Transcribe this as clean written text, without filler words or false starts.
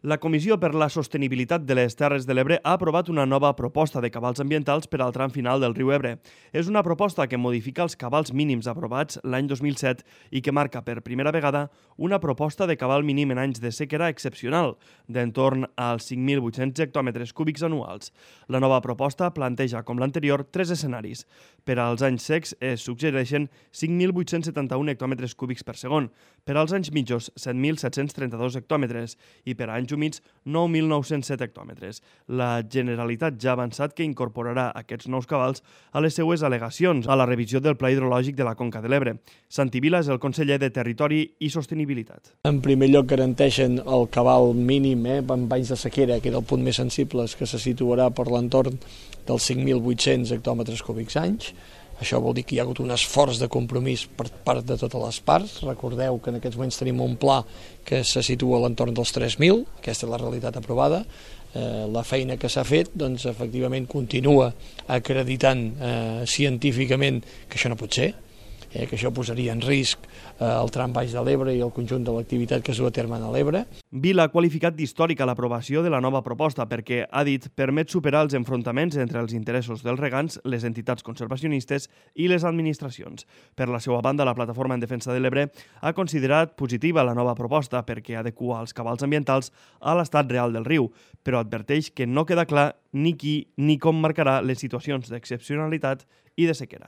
La Comissió per la Sostenibilitat de les Terres de l'Ebre ha aprovat una nova proposta de cabals ambientals per al tram final del riu Ebre. És una proposta que modifica els cabals mínims aprovats l'any 2007 i que marca per primera vegada una proposta de cabal mínim en anys de sequera excepcional, d'entorn als 5.800 hectòmetres cúbics anuals. La nova proposta planteja, com l'anterior, 3 escenaris. Per als anys secs es suggereixen 5.871 hectòmetres cúbics per segon, per als anys mitjos 7.732 hectòmetres i per anys humits 9.907 hectòmetres. La Generalitat ja ha avançat que incorporarà aquests nous cabals a les seues al·legacions a la revisió del Pla Hidrològic de la Conca de l'Ebre. Santi Vila és el conseller de Territori i Sostenibilitat. En primer lloc garanteixen el cabal mínim en anys de sequera, que era el punt més sensible, que se situarà per l'entorn dels 5.800 hectòmetres cúbics anys. Això vol dir que hi ha hagut un esforç de compromís per part de totes les parts. Recordeu que en aquests moments tenim un pla que se situa a l'entorn dels 3.000, aquesta és la realitat aprovada. La feina que s'ha fet, doncs, efectivament, continua acreditant científicament que això no pot ser, que això posaria en risc el tram baix de l'Ebre i el conjunt de l'activitat que es du a terme a l'Ebre. Vila ha qualificat d'històrica l'aprovació de la nova proposta perquè, ha dit, permet superar els enfrontaments entre els interessos dels regants, les entitats conservacionistes i les administracions. Per la seva banda, la Plataforma en Defensa de l'Ebre ha considerat positiva la nova proposta perquè adequa els cabals ambientals a l'estat real del riu, però adverteix que no queda clar ni qui ni com marcarà les situacions d'excepcionalitat i de sequera.